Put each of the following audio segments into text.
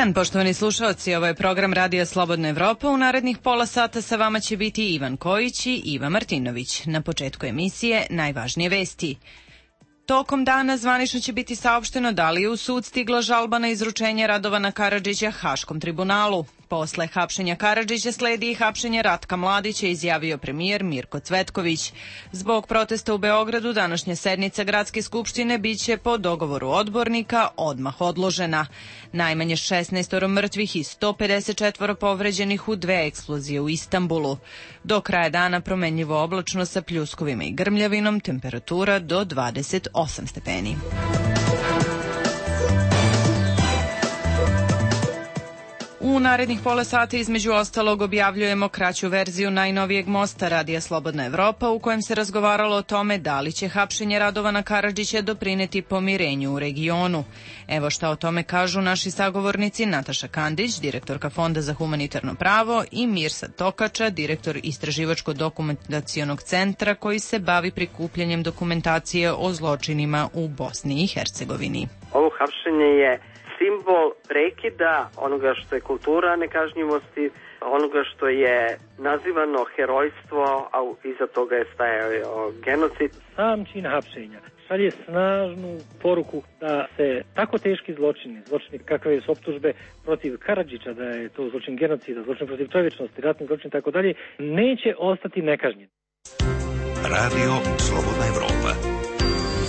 dan, poštovani slušalci, ovo je program Radija Slobodna Evropa. U narednih pola sata sa vama će biti Ivan Kojić i Iva Martinović. Na početku emisije najvažnije vesti. Tokom dana zvanično će biti saopšteno da li je u sud stigla žalba na izručenje Radovana Karadžića Haškom tribunalu. Posle hapšenja Karadžića sledi i hapšenje Ratka Mladića, izjavio premijer Mirko Cvetković. Zbog protesta u Beogradu današnja sednica Gradske skupštine biće po dogovoru odbornika odmah odložena. Najmanje 16 mrtvih i 154 povređenih u 2 eksplozije u Istanbulu. Do kraja dana promenljivo oblačno sa pljuskovima i grmljavinom, temperatura do 28 stepeni. U narednih pola sata između ostalog objavljujemo kraću verziju najnovijeg mosta Radija Slobodna Evropa u kojem se razgovaralo o tome da li će hapšenje Radovana Karadžića doprineti pomirenju u regionu. Evo šta o tome kažu naši sagovornici Nataša Kandić, direktorka Fonda za humanitarno pravo, i Mirsad Tokača, direktor Istraživačko-dokumentacionog centra koji se bavi prikupljanjem dokumentacije o zločinima u Bosni i Hercegovini. Ovo hapšenje je simbol prekida onoga što je kultura nekažnjivosti, onoga što je nazivano herojstvo, a iza toga je stajao genocid. Sam čin hapšenja šalje snažnu poruku da se tako teški zločini kakve su optužbe protiv Karadžića, da je to zločin genocida, zločin protiv čovječnosti, ratni zločin i tako dalje, neće ostati nekažnjen. Radio Slobodna Evropa.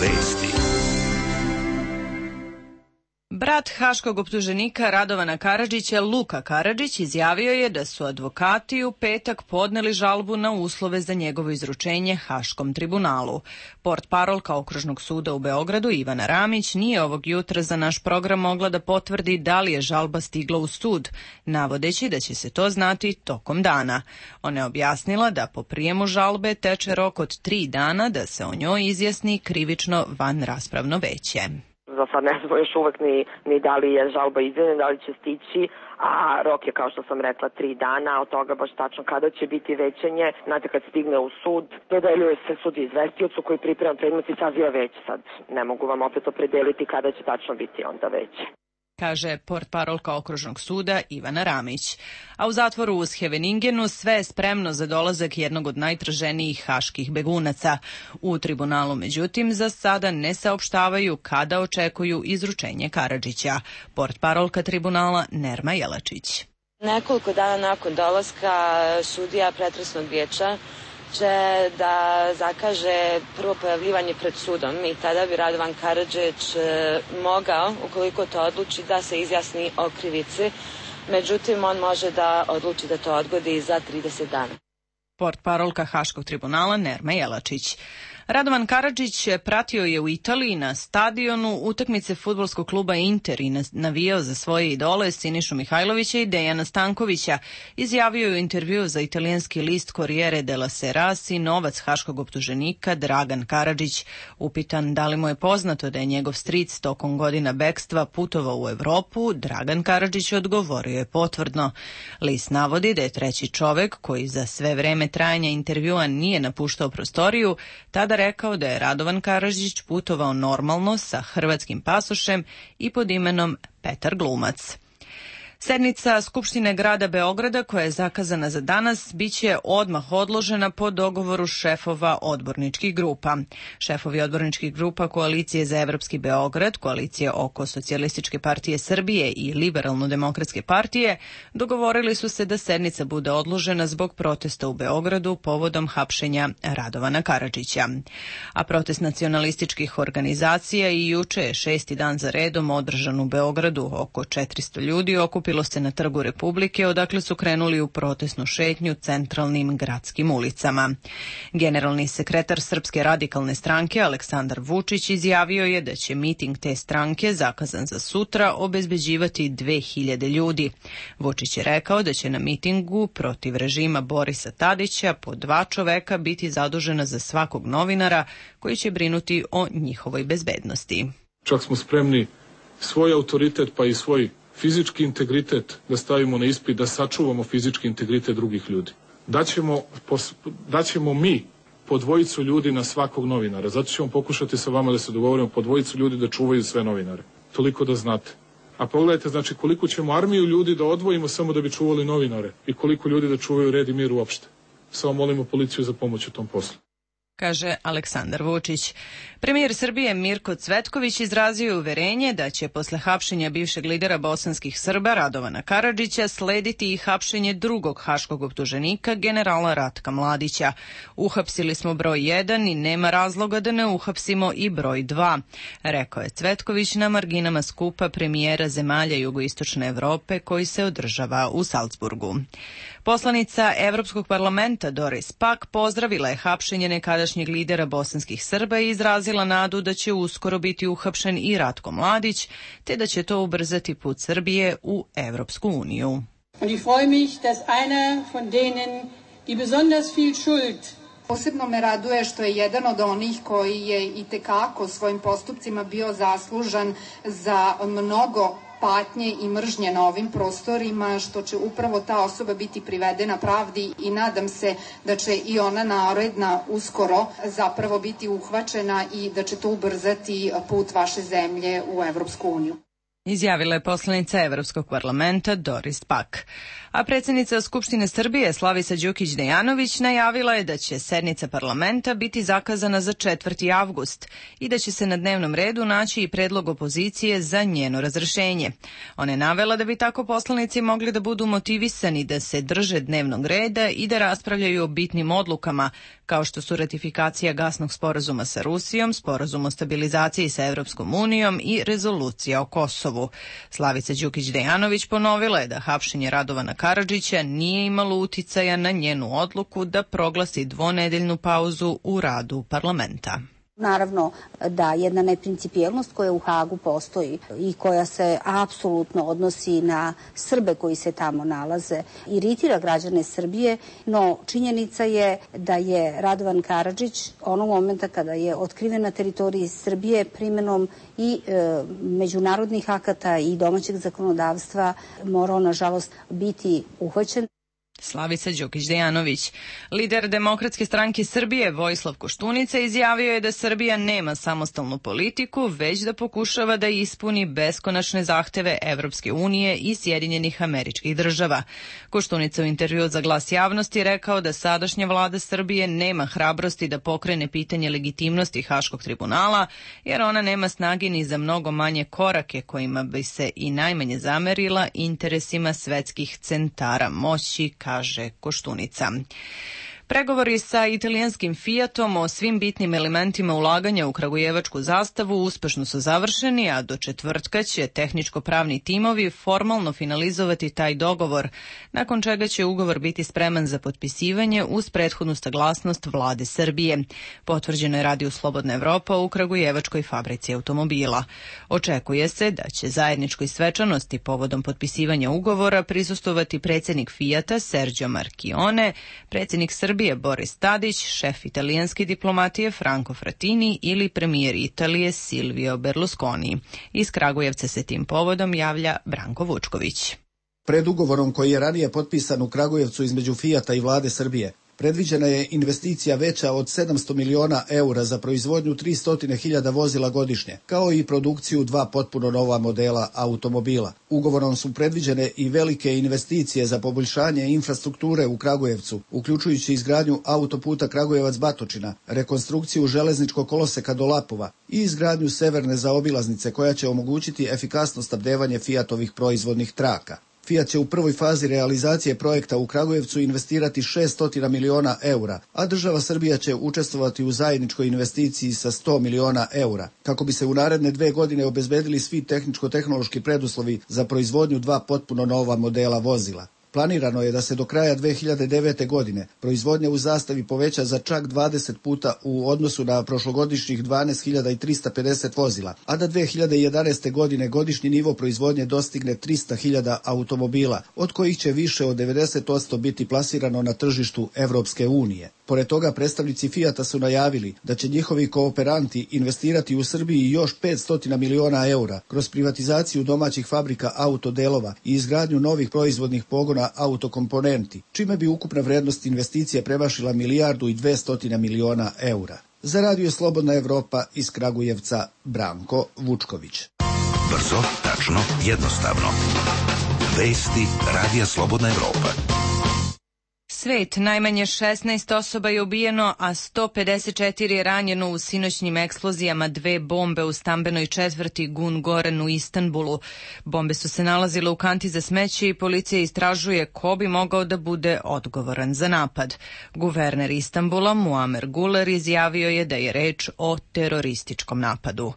Vesti. Brat haškog optuženika Radovana Karadžića, Luka Karadžić, izjavio je da su advokati u petak podneli žalbu na uslove za njegovo izručenje Haškom tribunalu. Portparolka Okružnog suda u Beogradu Ivana Ramić nije ovog jutra za naš program mogla da potvrdi da li je žalba stigla u sud, navodeći da će se to znati tokom dana. Ona je objasnila da po prijemu žalbe teče rok od 3 dana da se o njoj izjasni krivično vanraspravno veće. Za sad ne znamo još uvek ni da li je žalba izvedena, da li će stići, a rok je, kao što sam rekla, 3 dana, od toga baš tačno kada će biti većanje. Znate, kad stigne u sud, dodeljuje se sud izvestiocu koji priprema predmet i saziva veće. Sad ne mogu vam opet opredeliti kada će tačno biti onda veće, kaže portparolka Okružnog suda Ivana Ramić. A u zatvoru u Scheveningenu sve je spremno za dolazak jednog od najtraženijih haških begunaca. U tribunalu, međutim, za sada ne saopštavaju kada očekuju izručenje Karadžića. Portparolka tribunala Nerma Jelačić. Nekoliko dana nakon dolaska sudija pretresnog vijeća će da zakaže prvo pojavljivanje pred sudom i tada bi Radovan Karadžić mogao, ukoliko to odluči, da se izjasni o krivici. Međutim, on može da odluči da to odgodi za 30 dana. Portparolka Haškog tribunala Nerma Jelačić. Radovan Karadžić pratio je u Italiji na stadionu utakmice fudbalskog kluba Inter i navijao za svoje idole Sinišu Mihajlovića i Dejana Stankovića. Izjavio je u intervjuu za italijanski list Corriere della Sera sinovac haškog optuženika Dragan Karadžić. Upitan da li mu je poznato da je njegov stric tokom godina bekstva putovao u Evropu, Dragan Karadžić odgovorio je potvrdno. List navodi da je treći čovek koji za sve vreme trajanja intervjua nije napuštao prostoriju, tada rekao da je Radovan Karadžić putovao normalno sa hrvatskim pasošem i pod imenom Petar Glumac. Sednica Skupštine grada Beograda, koja je zakazana za danas, biće odmah odložena po dogovoru šefova odborničkih grupa. Šefovi odborničkih grupa Koalicije za evropski Beograd, Koalicije oko Socijalističke partije Srbije i Liberalno-demokratske partije dogovorili su se da sednica bude odložena zbog protesta u Beogradu povodom hapšenja Radovana Karadžića. A protest nacionalističkih organizacija i juče je 6. dan za redom održan u Beogradu. Oko 400 ljudi okupilo se na Trgu Republike, odakle su krenuli u protestnu šetnju centralnim gradskim ulicama. Generalni sekretar Srpske radikalne stranke Aleksandar Vučić izjavio je da će miting te stranke, zakazan za sutra, obezbeđivati 2000 ljudi. Vučić je rekao da će na mitingu protiv režima Borisa Tadića po 2 čoveka biti zadužena za svakog novinara koji će brinuti o njihovoj bezbednosti. Čak smo spremni svoj autoritet pa i svoj fizički integritet da stavimo na ispit, da sačuvamo fizički integritet drugih ljudi. Daćemo mi po 2 ljudi na svakog novinara. Zato ćemo pokušati sa vama da se dogovorimo po 2 ljudi da čuvaju sve novinare. Toliko da znate. A pogledajte, znači, koliko ćemo armiju ljudi da odvojimo samo da bi čuvali novinare i koliko ljudi da čuvaju red i mir uopšte. Samo molimo policiju za pomoć u tom poslu. Kaže Aleksandar Vučić. Premijer Srbije Mirko Cvetković izrazio je uverenje da će posle hapšenja bivšeg lidera bosanskih Srba Radovana Karadžića slediti i hapšenje drugog haškog optuženika, generala Ratka Mladića. Uhapsili smo broj 1 i nema razloga da ne uhapsimo i broj 2, rekao je Cvetković na marginama skupa premijera zemalja jugoistočne Evrope koji se održava u Salzburgu. Poslanica Evropskog parlamenta Doris Pack pozdravila je hapšenje nekadašnjeg lidera bosanskih Srba i izrazila nadu da će uskoro biti uhapšen i Ratko Mladić, te da će to ubrzati put Srbije u Evropsku uniju. Und ich freue mich, dass einer von denen, die besonders viel Schuld. Posebno me raduje što je jedan od onih koji je itekako svojim postupcima bio zaslužan za mnogo patnje i mržnje na ovim prostorima, što će upravo ta osoba biti privedena pravdi i nadam se da će i ona naredna uskoro zapravo biti uhvaćena i da će to ubrzati put vaše zemlje u Evropsku uniju. Izjavila je poslanica Evropskog parlamenta Doris Pack. A predsjednica Skupštine Srbije Slavica Đukić-Dejanović najavila je da će sednica parlamenta biti zakazana za 4. avgust i da će se na dnevnom redu naći i predlog opozicije za njeno razrešenje. Ona je navela da bi tako poslanici mogli da budu motivisani da se drže dnevnog reda i da raspravljaju o bitnim odlukama, kao što su ratifikacija gasnog sporazuma sa Rusijom, sporazum o stabilizaciji sa Evropskom unijom i rezolucija o Kosovu. Slavica Đukić-Dejanović ponovila je da hapšenje Radovana Karadžića nije imalo uticaja na njenu odluku da proglasi dvonedeljnu pauzu u radu parlamenta. Naravno da jedna neprincipijelnost koja u Hagu postoji i koja se apsolutno odnosi na Srbe koji se tamo nalaze iritira građane Srbije, no činjenica je da je Radovan Karadžić onog momenta kada je otkriven na teritoriji Srbije primenom i međunarodnih akata i domaćeg zakonodavstva morao nažalost biti uhvaćen. Slavica Đukić-Dejanović. Lider Demokratske stranke Srbije Vojislav Koštunica izjavio je da Srbija nema samostalnu politiku, već da pokušava da ispuni beskonačne zahteve Evropske unije i Sjedinjenih Američkih Država. Koštunica u intervjuu za Glas javnosti rekao da sadašnja vlada Srbije nema hrabrosti da pokrene pitanje legitimnosti Haškog tribunala, jer ona nema snage ni za mnogo manje korake kojima bi se i najmanje zamerila interesima svetskih centara moći, kaže Koštunica. Pregovori sa italijanskim Fiatom o svim bitnim elementima ulaganja u kragujevačku zastavu uspešno su završeni, a do četvrtka će tehničko-pravni timovi formalno finalizovati taj dogovor, nakon čega će ugovor biti spreman za potpisivanje uz prethodnu saglasnost vlade Srbije. Potvrđeno je Radio Slobodna Evropa u kragujevačkoj fabrici automobila. Očekuje se da će zajedničkoj svečanosti povodom potpisivanja ugovora prisustvovati predsjednik Fiata Sergio Marchionne, predsjednik Srbije Boris Tadić, šef italijanske diplomatije Franco Frattini ili premijer Italije Silvio Berlusconi. Iz Kragujevca se tim povodom javlja Branko Vučković. Pred ugovorom koji je ranije potpisan u Kragujevcu između Fiata i vlade Srbije, predviđena je investicija veća od 700 miliona eura za proizvodnju 300.000 vozila godišnje, kao i produkciju 2 potpuno nova modela automobila. Ugovorom su predviđene i velike investicije za poboljšanje infrastrukture u Kragujevcu, uključujući izgradnju autoputa Kragujevac-Batočina, rekonstrukciju železničkog koloseka do Lapova i izgradnju severne zaobilaznice koja će omogućiti efikasno snabdevanje Fiatovih proizvodnih traka. Fiat će u prvoj fazi realizacije projekta u Kragujevcu investirati 600 miliona eura, a država Srbija će učestvovati u zajedničkoj investiciji sa 100 miliona eura, kako bi se u naredne 2 godine obezbedili svi tehničko-tehnološki preduslovi za proizvodnju 2 potpuno nova modela vozila. Planirano je da se do kraja 2009. godine proizvodnja u zastavi poveća za čak 20 puta u odnosu na prošlogodišnjih 12.350 vozila, a da 2011. godine godišnji nivo proizvodnje dostigne 300.000 automobila, od kojih će više od 90% biti plasirano na tržištu Evropske unije. Pored toga, predstavnici Fiata su najavili da će njihovi kooperanti investirati u Srbiji još 500 miliona eura kroz privatizaciju domaćih fabrika autodelova i izgradnju novih proizvodnih pogona autokomponenti, čime bi ukupna vrednost investicije premašila 1.200 miliona eura. Za Radio Slobodna Evropa iz Kragujevca, Branko Vučković. Brzo, tačno, jednostavno. Vesti Radija Slobodna Evropa. Svet, najmanje 16 osoba je ubijeno, a 154 je ranjeno u sinoćnim eksplozijama dve bombe u stambenoj četvrti Gun Goren u Istanbulu. Bombe su se nalazile u kanti za smeće i policija istražuje ko bi mogao da bude odgovoran za napad. Guverner Istanbula, Muamer Guler, izjavio je da je reč o terorističkom napadu.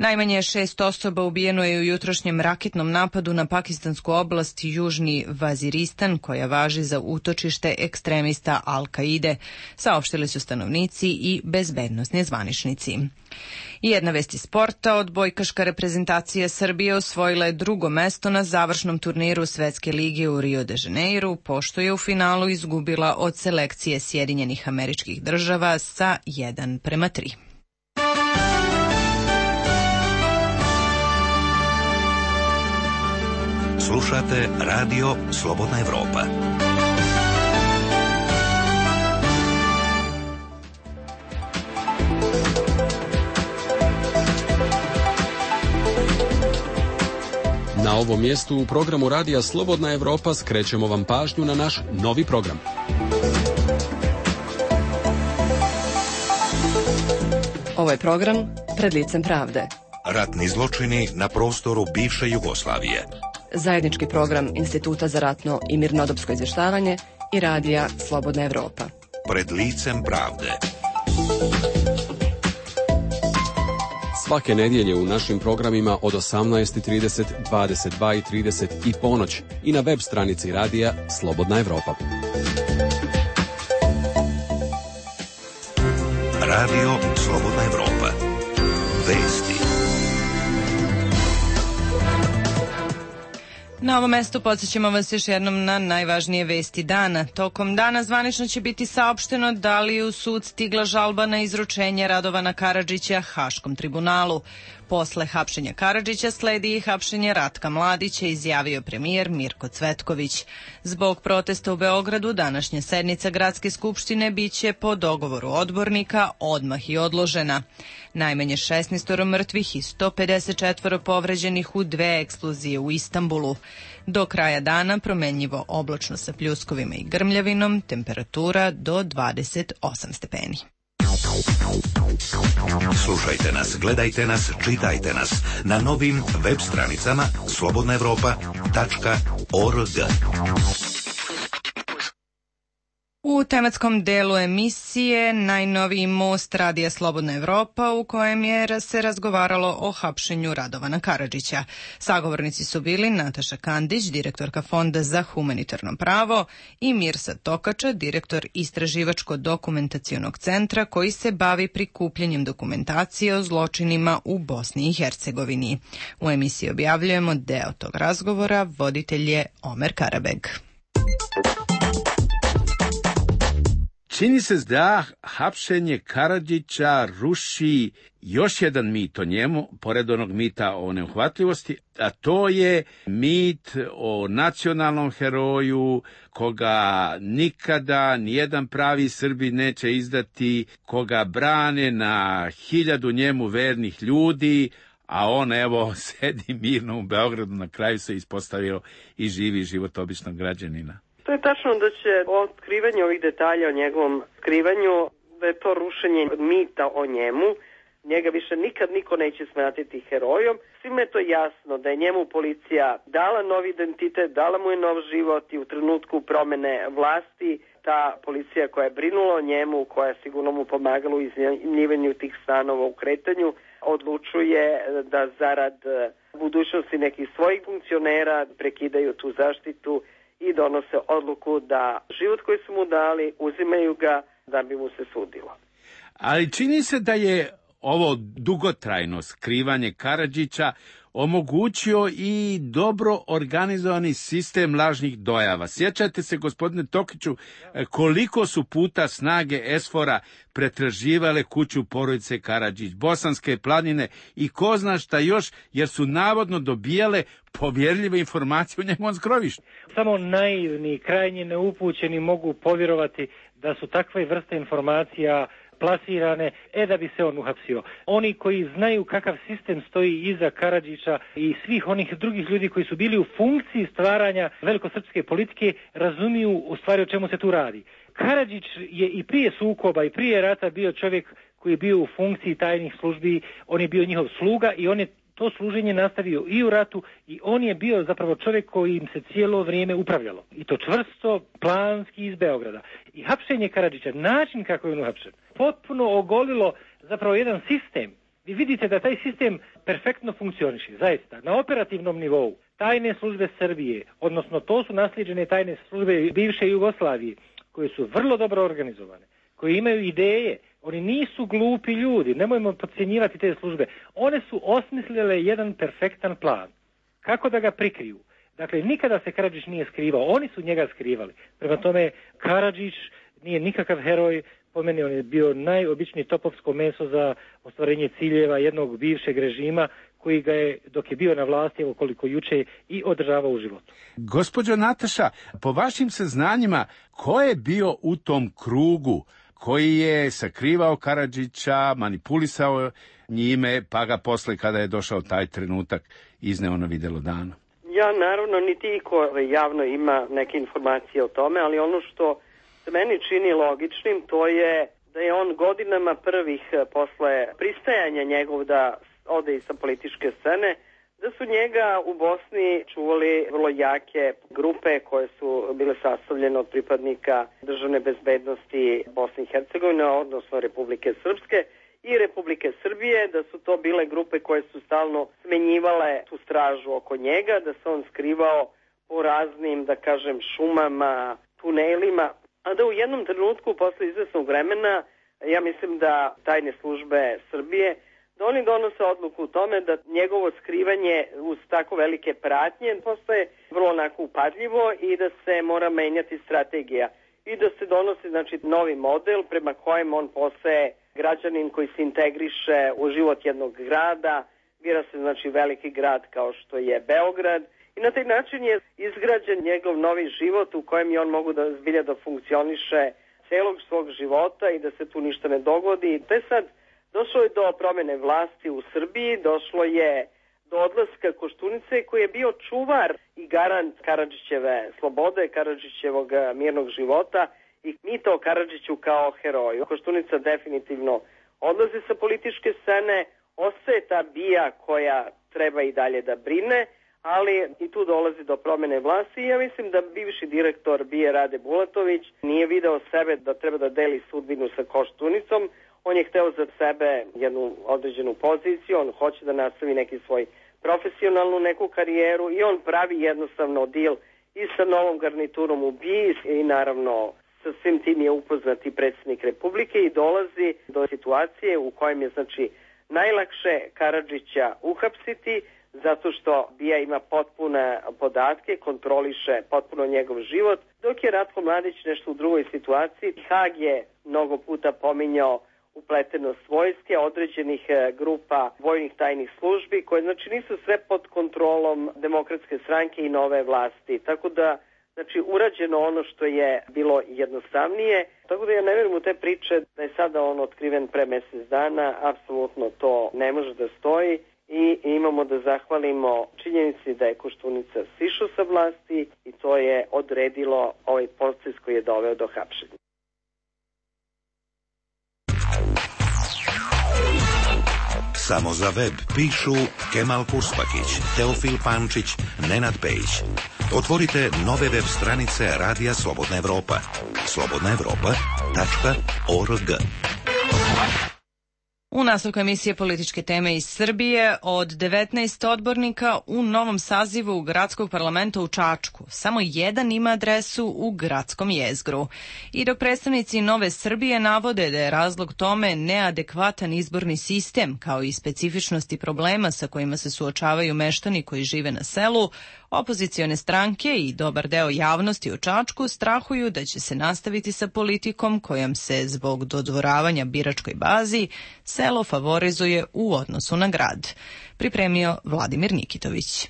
Najmanje 6 osoba ubijeno je u jutrošnjem raketnom napadu na pakistansku oblast Južni Vaziristan, koja važi za utočište ekstremista Al-Kaide, saopštili su stanovnici i bezbednosni zvaničnici. I jedna vest iz sporta, odbojkaška reprezentacija Srbije osvojila je drugo mesto na završnom turniru Svetske lige u Rio de Janeiru, pošto je u finalu izgubila od selekcije Sjedinjenih Američkih Država sa 1:3. Slušate Radio Slobodna Evropa. Na ovom mjestu u programu Radija Slobodna Evropa skrećemo vam pažnju na naš novi program. Ovo je program Pred licem pravde. Ratni zločini na prostoru bivše Jugoslavije. Zajednički program Instituta za ratno i mirnodopsko izvještavanje i Radija Slobodna Evropa. Pred licem pravde. Svake nedjelje u našim programima od 18:30, 22:30 i ponoć i na web stranici Radija Slobodna Evropa. Radio Slobodna Evropa. Vesti. Na ovom mestu podsjećamo vas još jednom na najvažnije vesti dana. Tokom dana zvanično će biti saopšteno da li je u sud stigla žalba na izručenje Radovana Karadžića Haškom tribunalu. Posle hapšenja Karadžića sledi i hapšenje Ratka Mladića, izjavio premijer Mirko Cvetković. Zbog protesta u Beogradu današnja sednica Gradske skupštine biće po dogovoru odbornika odmah i odložena. Najmanje 16 mrtvih i 154 povređenih u dve eksplozije u Istanbulu. Do kraja dana promenljivo oblačno sa pljuskovima i grmljavinom, temperatura do 28 stepeni. Slušajte nas, gledajte nas, čitajte nas na novim web stranicama slobodnaevropa.org. U tematskom delu emisije najnoviji most Radija Slobodna Evropa, u kojem je se razgovaralo o hapšenju Radovana Karadžića. Sagovornici su bili Nataša Kandić, direktorka Fonda za humanitarno pravo, i Mirsad Tokača, direktor Istraživačko-dokumentacionog centra koji se bavi prikupljanjem dokumentacije o zločinima u Bosni i Hercegovini. U emisiji objavljujemo deo tog razgovora, voditelj je Omer Karabeg. Čini se da hapšenje Karadžića ruši još jedan mit o njemu, pored onog mita o neuhvatljivosti, a to je mit o nacionalnom heroju koga nikada nijedan pravi Srbin neće izdati, koga brane na 1000 njemu vernih ljudi, a on evo sedi mirno u Beogradu, na kraju se ispostavio i živi život običnog građanina. To je tačno da će otkrivanje ovih detalja o njegovom skrivanju, da je to rušenje mita o njemu. Njega više nikad niko neće smatrati herojom. Svima je to jasno da je njemu policija dala novi identitet, dala mu je nov život i u trenutku promene vlasti ta policija koja je brinula o njemu, koja je sigurno mu pomagala u iznajmljivanju tih stanova u kretanju, odlučuje da zarad budućnosti nekih svojih funkcionera prekidaju tu zaštitu i donose odluku da život koji su mu dali, uzimaju ga da bi mu se sudilo. Ali čini se da je ovo dugotrajno skrivanje Karadžića omogućio i dobro organizovani sistem lažnih dojava. Sjećate se, gospodine Tokiću, koliko su puta snage ESFOR-a pretraživale kuću porodice Karadžić, Bosanske planine i ko zna šta još, jer su navodno dobijale povjerljive informacije u njegovom skrovištu. Samo naivni, krajnje neupućeni mogu povjerovati da su takve vrste informacija plasirane, da bi se on uhapsio. Oni koji znaju kakav sistem stoji iza Karadžića i svih onih drugih ljudi koji su bili u funkciji stvaranja velikosrpske politike, razumiju u stvari o čemu se tu radi. Karadžić je i prije sukoba i prije rata bio čovjek koji je bio u funkciji tajnih službi, on je bio njihov sluga i on je to služenje nastavio i u ratu i on je bio zapravo čovjek koji im se cijelo vrijeme upravljalo. I to čvrsto, planski iz Beograda. I hapšenje Karadžića, način kako je on uhapšen, potpuno ogolilo zapravo jedan sistem. Vi vidite da taj sistem perfektno funkcioniše, zaista. Na operativnom nivou tajne službe Srbije, odnosno to su naslijeđene tajne službe bivše Jugoslavije, koje su vrlo dobro organizovane, koji imaju ideje. Oni nisu glupi ljudi, nemojmo podcjenjivati te službe. One su osmislile jedan perfektan plan. Kako da ga prikriju? Dakle, nikada se Karadžić nije skrivao, oni su njega skrivali. Prema tome, Karadžić nije nikakav heroj, po meni on je bio najobičniji topovsko meso za ostvarenje ciljeva jednog bivšeg režima koji ga je, dok je bio na vlasti, evo koliko juče, i održavao u životu. Gospođo Nataša, po vašim saznanjima, ko je bio u tom krugu koji je sakrivao Karadžića, manipulisao njime, pa ga posle, kada je došao taj trenutak, izneo na videlo dana? Ja, naravno, niti iko javno ima neke informacije o tome, ali ono što se meni čini logičnim, to je da je on godinama prvih posle pristajanja njegov da ode i sa političke scene, da su njega u Bosni čuvali vrlo jake grupe koje su bile sastavljene od pripadnika državne bezbednosti Bosne i Hercegovine, odnosno Republike Srpske i Republike Srbije, da su to bile grupe koje su stalno smenjivale tu stražu oko njega, da se on skrivao po raznim, da kažem, šumama, tunelima, a da u jednom trenutku posle izvesnog vremena, ja mislim da tajne službe Srbije, da oni donose odluku u tome da njegovo skrivanje uz tako velike pratnje postaje vrlo onako upadljivo i da se mora menjati strategija i da se donosi, znači, novi model prema kojem on postaje građanin koji se integriše u život jednog grada, bira se, znači, veliki grad kao što je Beograd i na taj način je izgrađen njegov novi život u kojem je on mogu da zbilja da funkcioniše celog svog života i da se tu ništa ne dogodi. Te sad došlo je do promjene vlasti u Srbiji, došlo je do odlaska Koštunice koji je bio čuvar i garant Karadžićeve slobode, Karadžićevog mirnog života i mito o Karadžiću kao heroju. Koštunica definitivno odlazi sa političke scene, ostaje ta BIA koja treba i dalje da brine, ali i tu dolazi do promjene vlasti i ja mislim da bivši direktor BIA Rade Bulatović nije video sebe da treba da deli sudbinu sa Koštunicom. On je hteo za sebe jednu određenu poziciju, on hoće da nastavi neki svoj profesionalnu neku karijeru i on pravi jednostavno deal i sa novom garniturom u BIA i naravno sa svim tim je upoznat i predsjednik Republike i dolazi do situacije u kojem je, znači, najlakše Karadžića uhapsiti zato što BIA ima potpune podatke, kontroliše potpuno njegov život, dok je Ratko Mladić nešto u drugoj situaciji. Hag je mnogo puta pominjao upletenost vojske, određenih grupa vojnih tajnih službi, koje, znači, nisu sve pod kontrolom Demokratske stranke i nove vlasti. Tako da, znači, urađeno ono što je bilo jednostavnije. Tako da ja ne vjerujem u te priče da je sada on otkriven pre mjesec dana. Apsolutno to ne može da stoji i imamo da zahvalimo činjenici da je Koštunica sišao sa vlasti i to je odredilo ovaj proces koji je doveo do hapšenja. Samo za web pišu Kemal Kuspakić, Teofil Pančić, Nenad Pejić. Otvorite nove web stranice Radija Slobodna Evropa. slobodnaevropa.org. U nastavku emisije Političke teme iz Srbije, od 19 odbornika u novom sazivu Gradskog parlamenta u Čačku, samo jedan ima adresu u gradskom jezgru. I dok predstavnici Nove Srbije navode da je razlog tome neadekvatan izborni sistem, kao i specifičnosti problema sa kojima se suočavaju meštani koji žive na selu, opozicione stranke i dobar deo javnosti u Čačku strahuju da će se nastaviti sa politikom kojom se zbog dodvoravanja biračkoj bazi selo favorizuje u odnosu na grad. Pripremio Vladimir Nikitović.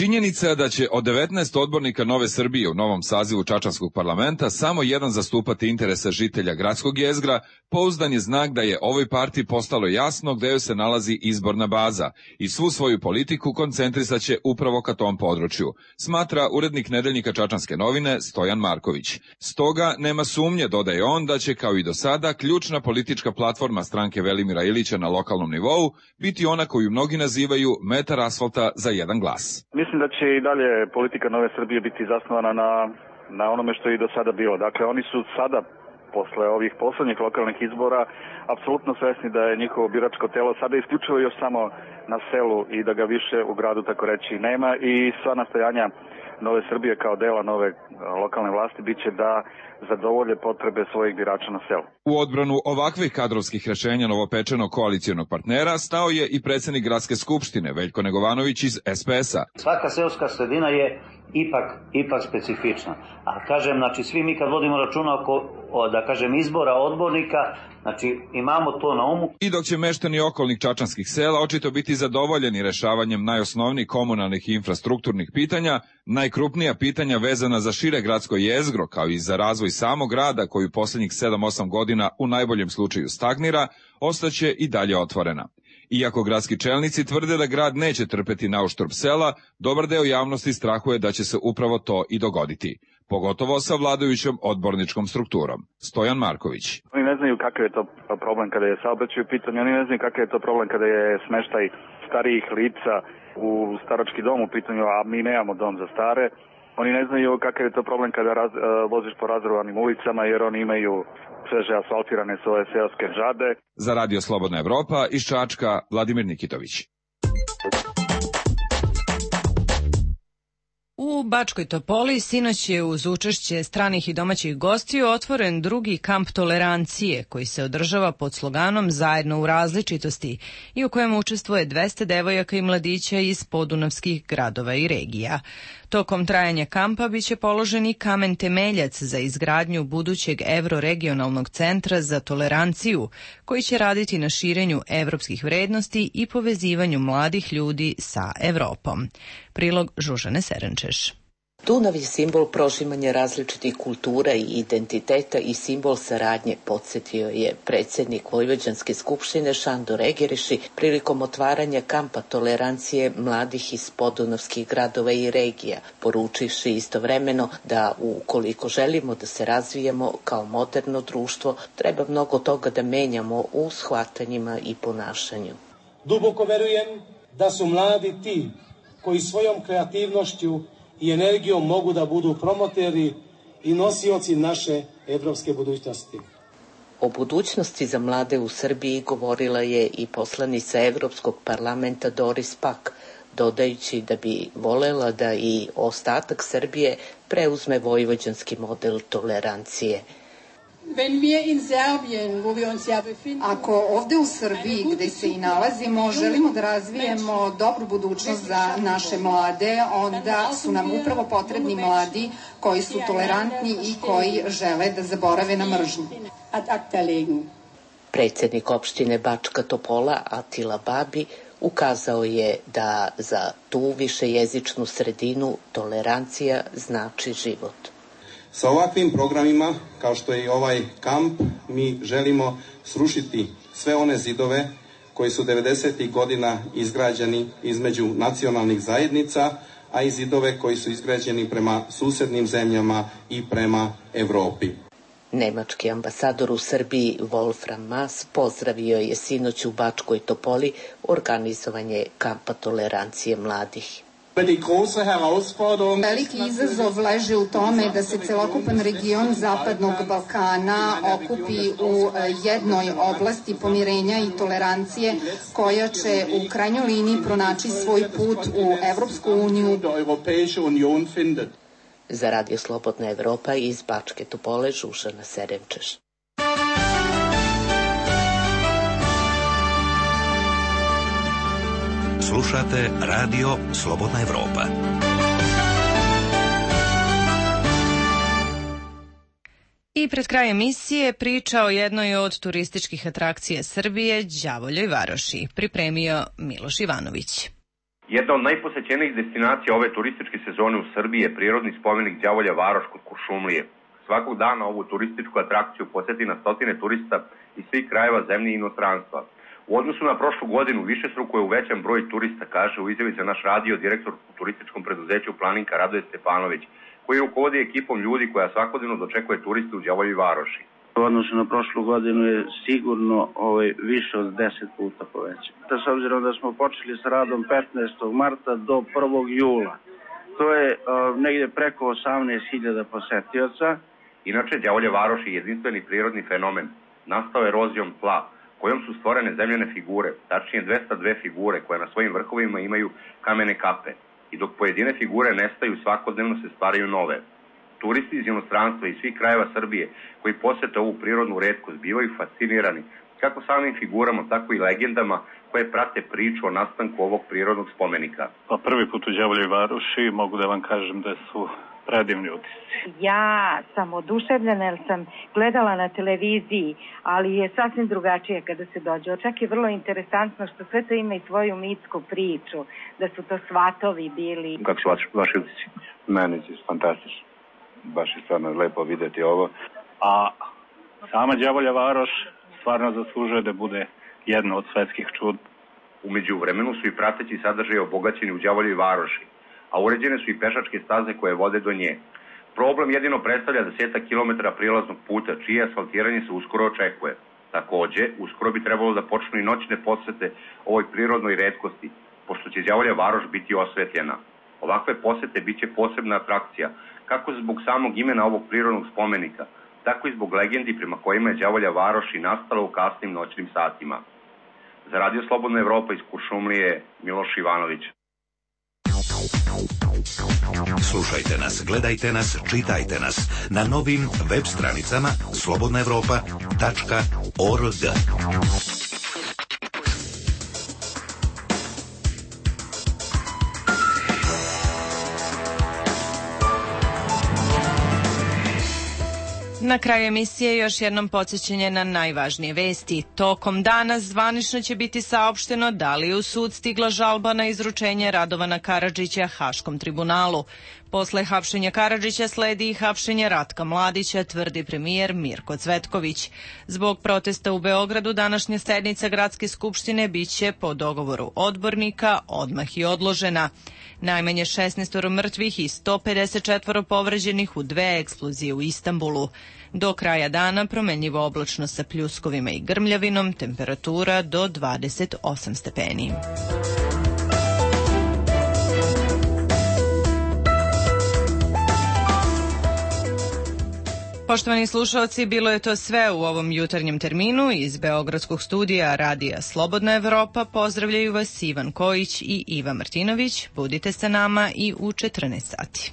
Činjenica je da će od 19 odbornika Nove Srbije u novom sazivu Čačanskog parlamenta samo jedan zastupati interese žitelja gradskog jezgra, pouzdan je znak da je ovoj partiji postalo jasno gde joj se nalazi izborna baza i svu svoju politiku koncentrisat će upravo ka tom području, smatra urednik nedeljnika Čačanske novine Stojan Marković. Stoga nema sumnje, dodaje on, da će kao i do sada ključna politička platforma stranke Velimira Ilića na lokalnom nivou biti ona koju mnogi nazivaju metar asfalta za jedan glas. Mislim da će i dalje politika Nove Srbije biti zasnovana na onome što je i do sada bilo. Dakle, oni su sada, posle ovih poslednjih lokalnih izbora, apsolutno svesni da je njihovo biračko telo sada isključivo još samo na selu i da ga više u gradu, tako reći, nema, i sva nastojanja Nove Srbije kao dela nove lokalne vlasti biće da zadovolje potrebe svojih birača na selu. U odbranu ovakvih kadrovskih rešenja novopečenog koalicijonog partnera stao je i predsednik Gradske skupštine Veljko Negovanović iz SPS-a. Svaka seoska sredina je ipak specifična. A kažem, znači, svi mi kad vodimo računa oko, da kažem, izbora odbornika, znači, imamo to na umu. I dok će meštani okolnih čačanskih sela očito biti zadovoljeni rešavanjem najosnovnijih komunalnih i infrastrukturnih pitanja, najkrupnija pitanja vezana za šire gradsko jezgro, kao i za razvoj samog grada, koji u poslednjih 7-8 godina u najboljem slučaju stagnira, ostaće i dalje otvorena. Iako gradski čelnici tvrde da grad neće trpeti nauštrb sela, dobar deo javnosti strahuje da će se upravo to i dogoditi, pogotovo sa vladajućom odborničkom strukturom. Stojan Marković. Oni ne znaju kakav je to problem kada je saobraćaj u pitanju, oni ne znaju kakav je to problem kada je smeštaj starijih lica u starački dom u pitanju, a mi nemamo dom za stare. Oni ne znaju kakav je to problem kada voziš po razrovanim ulicama, jer oni imaju sveže asfaltirane svoje seoske džade. Za Radio Slobodna Evropa iz Čačka, Vladimir Nikitović. U Bačkoj Topoli sinoć je uz učešće stranih i domaćih gostiju otvoren drugi kamp tolerancije koji se održava pod sloganom Zajedno u različitosti i u kojem učestvuje 200 devojaka i mladića iz podunavskih gradova i regija. Tokom trajanja kampa biće položen i kamen temeljac za izgradnju budućeg evroregionalnog centra za toleranciju, koji će raditi na širenju evropskih vrednosti i povezivanju mladih ljudi sa Evropom. Prilog Žužane Serenčeš. Dunav je simbol prožimanja različitih kultura i identiteta i simbol saradnje, podsjetio je predsjednik Vojvođanske skupštine Šandor Egeriši prilikom otvaranja kampa tolerancije mladih iz podunavskih gradova i regija, poručivši istovremeno da ukoliko želimo da se razvijemo kao moderno društvo, treba mnogo toga da menjamo u shvatanjima i ponašanju. Duboko verujem da su mladi ti koji svojom kreativnošću i energijom mogu da budu promoteri i nosioci naše evropske budućnosti. O budućnosti za mlade u Srbiji govorila je i poslanica Evropskog parlamenta Doris Pack, dodajući da bi volela da i ostatak Srbije preuzme vojvođanski model tolerancije. Ako ovde u Srbiji, gde se i nalazimo, želimo da razvijemo dobru budućnost za naše mlade, onda su nam upravo potrebni mladi koji su tolerantni i koji žele da zaborave na mržnju. Predsjednik opštine Bačka Topola Atila Babi ukazao je da za tu višejezičnu sredinu tolerancija znači život. Sa ovakvim programima, kao što je i ovaj kamp, mi želimo srušiti sve one zidove koji su 90. godina izgrađeni između nacionalnih zajednica, a i zidove koji su izgrađeni prema susednim zemljama i prema Evropi. Nemački ambasador u Srbiji Wolfram Maas pozdravio je sinoć u Bačkoj Topoli organizovanje kampa tolerancije mladih. Veliki izazov leži u tome da se celokupan region Zapadnog Balkana okupi u jednoj oblasti pomirenja i tolerancije koja će u krajnjoj liniji pronaći svoj put u Evropsku uniju. Za Radio Slobodna Evropa iz Bačke Topole Žužana Serenčeš. Slušate Radio Slobodna Evropa. I pred kraj emisije priča o jednoj od turističkih atrakcija Srbije, Đavoljoj Varoši, pripremio Miloš Ivanović. Jedna od najposećenijih destinacija ove turističke sezone u Srbiji je prirodni spomenik Đavolja Varoš kod Kuršumlije. Svakog dana ovu turističku atrakciju poseti na stotine turista iz svih krajeva zemlje i inostranstva. U odnosu na prošlu godinu višestruko je uvećan broj turista, kaže u izjavi za naš radio direktor u turističkom preduzeću Planinka Radoje Stefanović, koji rukovodi ekipom ljudi koja svakodnevno dočekuje turiste u Đavoljoj Varoši. U odnosu na prošlu godinu je sigurno više od 10 puta povećan. S obzirom da smo počeli s radom 15. marta do 1. jula, to je negdje preko 18.000 posetioca. Inače, Đavolje Varoš je jedinstveni prirodni fenomen. Nastao erozijom tla, kojom su stvorene zemljane figure, tačnije 202 figure koje na svojim vrhovima imaju kamene kape. I dok pojedine figure nestaju, svakodnevno se stvaraju nove. Turisti iz inostranstva i svih krajeva Srbije koji posete ovu prirodnu retkost bivaju fascinirani kako samim figurama, tako i legendama koje prate priču o nastanku ovog prirodnog spomenika. Pa prvi put u Đavoljoj Varoši mogu da vam kažem da su predivni utisci. Ja sam oduševljena jer sam gledala na televiziji, ali je sasvim drugačije kada se dođe. Čak je vrlo interesantno što sve to ima i svoju mitsku priču, da su to svatovi bili. Kako su vaši utisci? Meni je fantastično. Baš je stvarno lepo videti ovo. A sama Đavolja Varoš stvarno zaslužuje da bude jedno od svetskih čuda. Umeđu vremenu su i prateći sadržaji obogaćeni u Đavoljoj Varoši, a uređene su i pešačke staze koje vode do nje. Problem jedino predstavlja 10 kilometara prilaznog puta, čije asfaltiranje se uskoro očekuje. Takođe, uskoro bi trebalo da počnu i noćne posete ovoj prirodnoj retkosti, pošto će Đavolja Varoš biti osvetljena. Ovakve posete biće posebna atrakcija, kako zbog samog imena ovog prirodnog spomenika, tako i zbog legendi prema kojima je Đavolja Varoš i nastala u kasnim noćnim satima. Za Radio Slobodna Evropa iz Kuršumlije, Miloš Ivanović. Slušajte nas, gledajte nas, čitajte nas na novim web stranicama slobodnaevropa.org. Na kraju emisije još jednom podsjećanje na najvažnije vesti. Tokom dana zvanično će biti saopšteno da li je u sud stigla žalba na izručenje Radovana Karadžića Haškom tribunalu. Posle hapšenja Karadžića sledi i hapšenje Ratka Mladića, tvrdi premijer Mirko Cvetković. Zbog protesta u Beogradu današnja sednica Gradske skupštine biće po dogovoru odbornika odmah i odložena. Najmanje 16 mrtvih i 154 povređenih u 2 eksplozije u Istanbulu. Do kraja dana promenljivo oblačno sa pljuskovima i grmljavinom, temperatura do 28 stepeni. Poštovani slušalci, bilo je to sve u ovom jutarnjem terminu. Iz Beogradskog studija Radija Slobodna Evropa pozdravljaju vas Ivan Kojić i Iva Martinović. Budite sa nama i u 14 sati.